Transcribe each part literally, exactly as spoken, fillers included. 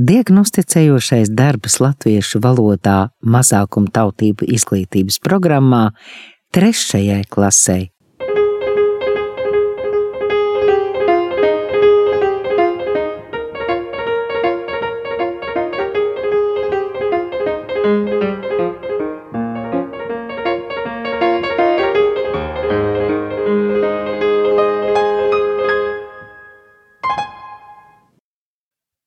Diagnosticējošais darbs latviešu valodā mazākumtautību izglītības programmā trešajai klasei.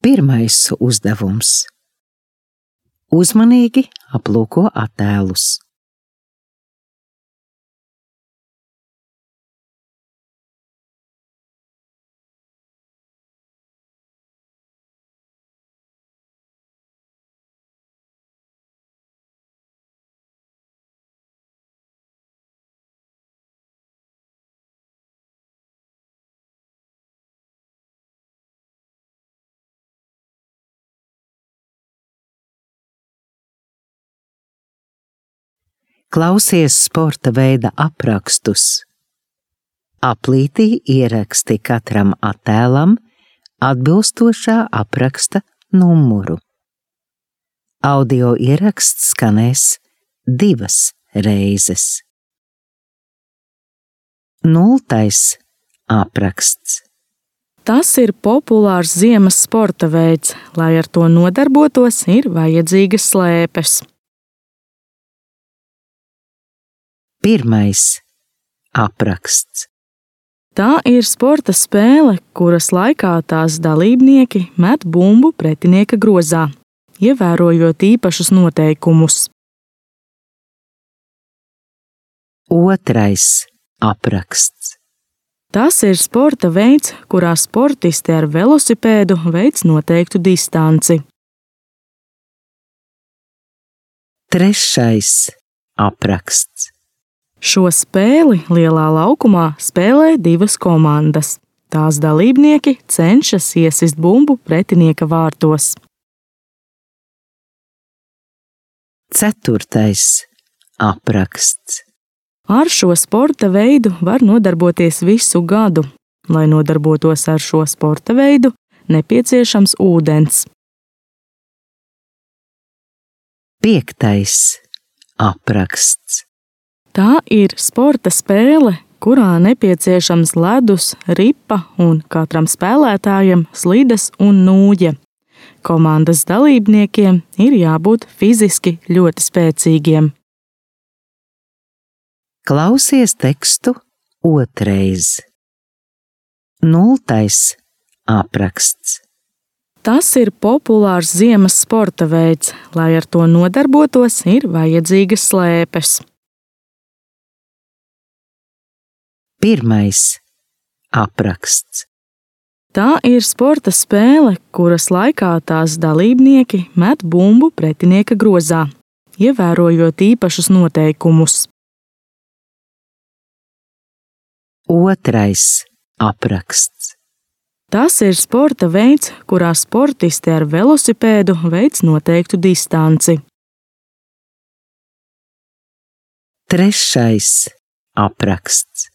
Pirmais uzdevums. Uzmanīgi aplūko attēlus. Klausies sporta veida aprakstus. Aplītī ieraksti katram attēlam atbilstošā apraksta numuru. Audio ieraksts skanēs divas reizes. Nultais apraksts. Tas ir populārs ziemas sporta veids, lai ar to nodarbotos, ir vajadzīgas slēpes. Pirmais apraksts. Tā ir sporta spēle, kuras laikā tās dalībnieki met bumbu pretinieka grozā, ievērojot īpašus noteikumus. Otrais apraksts. Tas ir sporta veids, kurā sportisti ar velosipēdu veic noteiktu distanci. Trešais apraksts. Šo spēli lielā laukumā spēlē divas komandas. Tās dalībnieki cenšas iesist bumbu pretinieka vārtos. Ceturtais apraksts. Ar šo sporta veidu var nodarboties visu gadu. Lai nodarbotos ar šo sporta veidu, nepieciešams ūdens. Piektais apraksts. Tā ir sporta spēle, kurā nepieciešams ledus, ripa un katram spēlētājam slides un nūja. Komandas dalībniekiem ir jābūt fiziski ļoti spēcīgiem. Klausies tekstu otrais. Nultais apraksts. Tas ir populārs ziemas sporta veids, lai ar to nodarbotos, ir vajadzīgas slēpes. Pirmais apraksts. Tā ir sporta spēle, kuras laikā tās dalībnieki met bumbu pretinieka grozā, ievērojot īpašus noteikumus. Otrais apraksts. Tas ir sporta veids, kurā sportisti ar velosipēdu veic noteiktu distanci. Trešais apraksts.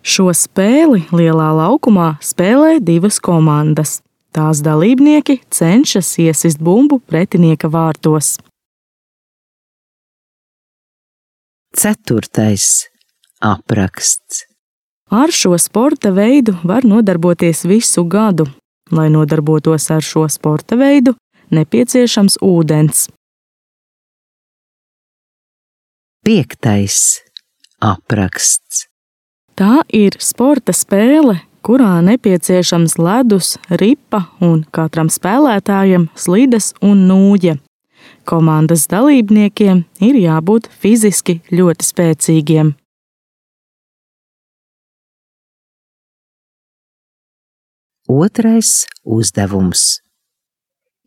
Šo spēli lielā laukumā spēlē divas komandas. Tās dalībnieki cenšas iesist bumbu pretinieka vārtos. Ceturtais apraksts. Ar šo sporta veidu var nodarboties visu gadu. Lai nodarbotos ar šo sporta veidu, nepieciešams ūdens. Piektais apraksts. Tā ir sporta spēle, kurā nepieciešams ledus, ripa un katram spēlētājam slides un nūja. Komandas dalībniekiem ir jābūt fiziski ļoti spēcīgiem. Otrais uzdevums.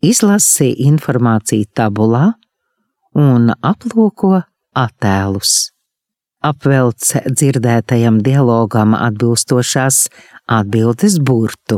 Izlasi informāciju tabulā un aplūko attēlus. Apvelc dzirdētajam dialogam atbilstošās atbildes burtu.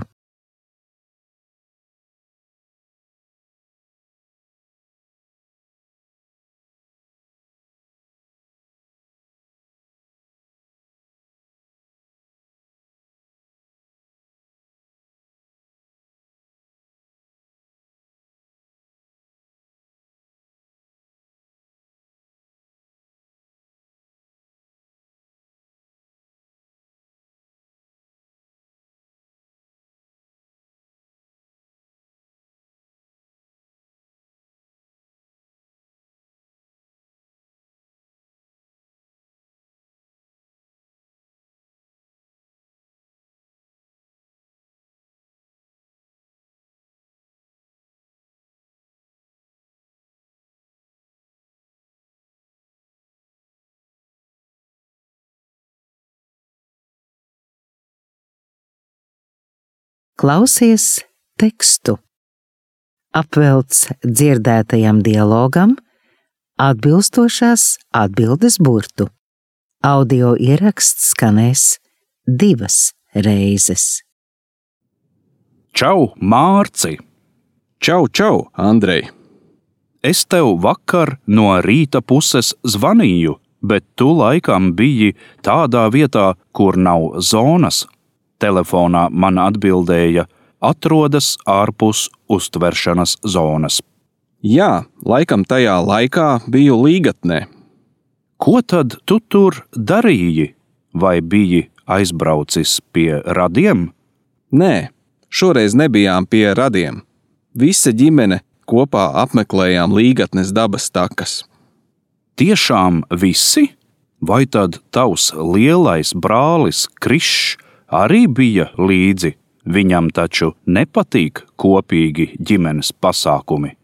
Klausies tekstu. Apvelc dzirdētajam dialogam atbilstošās atbildes burtu. Audio ieraksts skanēs divas reizes. Čau, Mārci! Čau, čau, Andrej! Es tev vakar no rīta puses zvanīju, bet tu laikam biji tādā vietā, kur nav zonas. Telefonā man atbildēja, atrodas ārpus uztveršanas zonas. Jā, laikam tajā laikā biju Līgatnē. Ko tad tu tur darīji? Vai biji aizbraucis pie radiem? Nē, šoreiz nebijām pie radiem. Visa ģimene kopā apmeklējām Līgatnes dabas takas. Tiešām visi? Vai tad tavs lielais brālis Krišs arī bija līdzi? Viņam taču nepatīk kopīgi ģimenes pasākumi.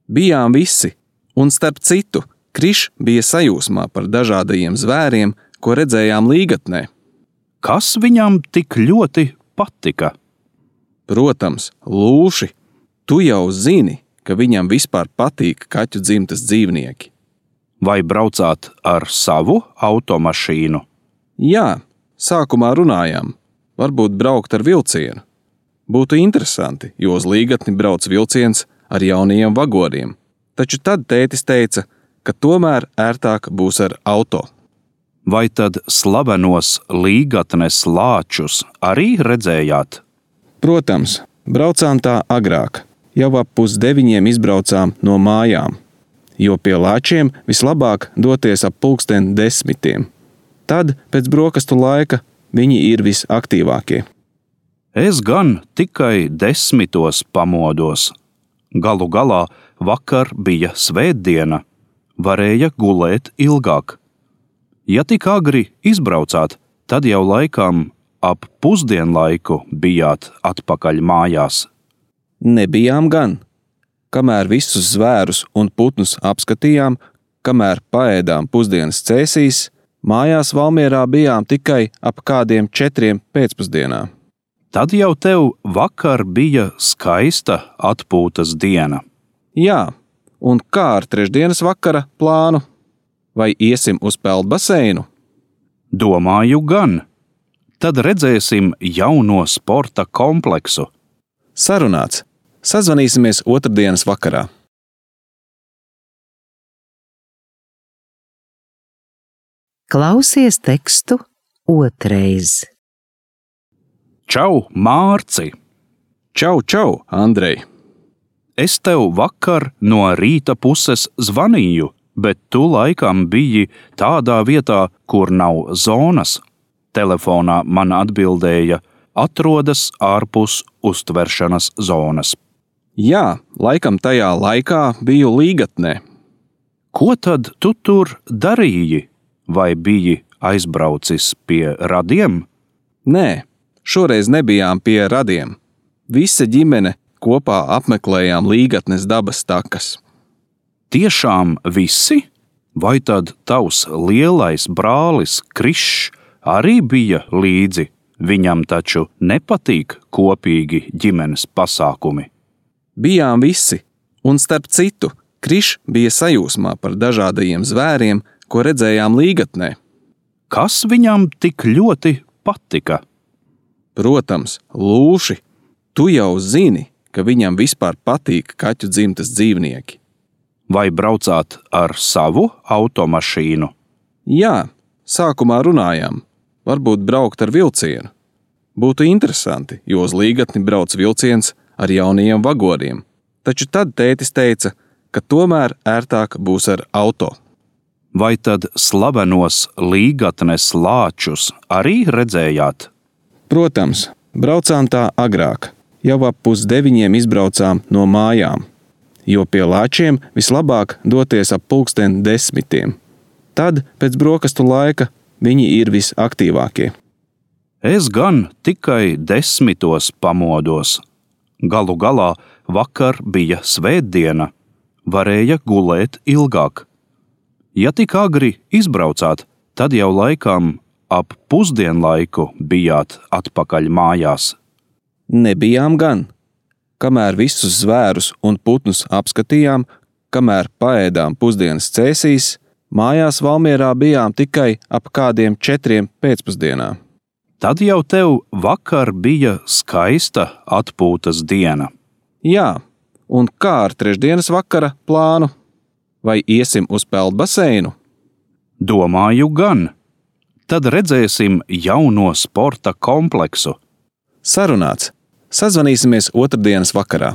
Bijām visi, un starp citu, Krišs bija sajūsmā par dažādajiem zvēriem, ko redzējām Līgatnē. Kas viņam tik ļoti patika? Protams, lūši. Tu jau zini, ka viņam vispār patīk kaķu dzimtas dzīvnieki. Vai braucāt ar savu automašīnu? Jā, sākumā runājām. Varbūt braukt ar vilcienu. Būtu interesanti, jo uz Līgatni brauc vilciens ar jaunajiem vagoriem. Taču tad tētis teica, ka tomēr ērtāk būs ar auto. Vai tad slavenos Līgatnes lāčus arī redzējāt? Protams, braucām tā agrāk. Jau ap pusdeviņiem izbraucām no mājām, jo pie lāčiem vislabāk doties ap pulksten desmitiem. Tad, pēc brokastu laika, viņi ir visaktīvākie. Es gan tikai desmitos pamodos. Galu galā vakar bija svētdiena, varēja gulēt ilgāk. Ja tik agri izbraucāt, tad jau laikam ap pusdienlaiku bijāt atpakaļ mājās. Nebijām gan. Kamēr visus zvērus un putnus apskatījām, kamēr paēdām pusdienas cēsīs, mājās Valmierā bijām tikai ap kādiem četriem pēcpusdienā. Tad jau tev vakar bija skaista atpūtas diena. Jā, un kā ar trešdienas vakara plānu? Vai iesim uz peldbaseinu? Domāju gan. Tad redzēsim jauno sporta kompleksu. Sarunāts. Sazvanīsimies otrdienas vakarā. Klausies tekstu otrais. Čau, Mārci! Čau, čau, Andrej! Es tev vakar no rīta puses zvanīju, bet tu laikam biji tādā vietā, kur nav zonas. Telefonā man atbildēja, atrodas ārpus uztveršanas zonas. Jā, laikam tajā laikā biju Līgatnē. Ko tad tu tur darīji? Vai biji aizbraucis pie radiem? Nē, šoreiz nebijām pie radiem. Visa ģimene kopā apmeklējām Līgatnes dabas takas. Tiešām visi? Vai tad tavs lielais brālis Krišs arī bija līdzi? Viņam taču nepatīk kopīgi ģimenes pasākumi. Bijām visi, un starp citu, Krišs bija sajūsmā par dažādajiem zvēriem, ko redzējām Līgatnē. Kas viņam tik ļoti patika? Protams, lūši. Tu jau zini, ka viņam vispār patīk kaķu dzimtas dzīvnieki. Vai braucāt ar savu automašīnu? Jā, sākumā runājām. Varbūt braukt ar vilcienu. Būtu interesanti, jo uz Līgatni brauc vilciens ar jaunajiem vagoriem. Taču tad tētis teica, ka tomēr ērtāk būs ar auto. Vai tad slavenos Līgatnes lāčus arī redzējāt? Protams, braucām tā agrāk. Jau ap pusdeviņiem izbraucām no mājām, jo pie lāčiem vislabāk doties ap pulksten desmitiem. Tad, pēc brokastu laika, viņi ir visaktīvākie. Es gan tikai desmitos pamodos. Galu galā vakar bija svētdiena, varēja gulēt ilgāk. Ja tik agri izbraucāt, tad jau laikam ap pusdienlaiku bijāt atpakaļ mājās. Nebijām gan. Kamēr visus zvērus un putnus apskatījām, kamēr paēdām pusdienas cēsīs, mājās Valmierā bijām tikai ap kādiem četriem pēcpusdienā. Tad jau tev vakar bija skaista atpūtas diena. Jā, un kā ar trešdienas vakara plānu? Vai iesim uz peldbaseinu? Domāju gan. Tad redzēsim jauno sporta kompleksu. Sarunāts. Sazvanīsimies otrdienas vakarā.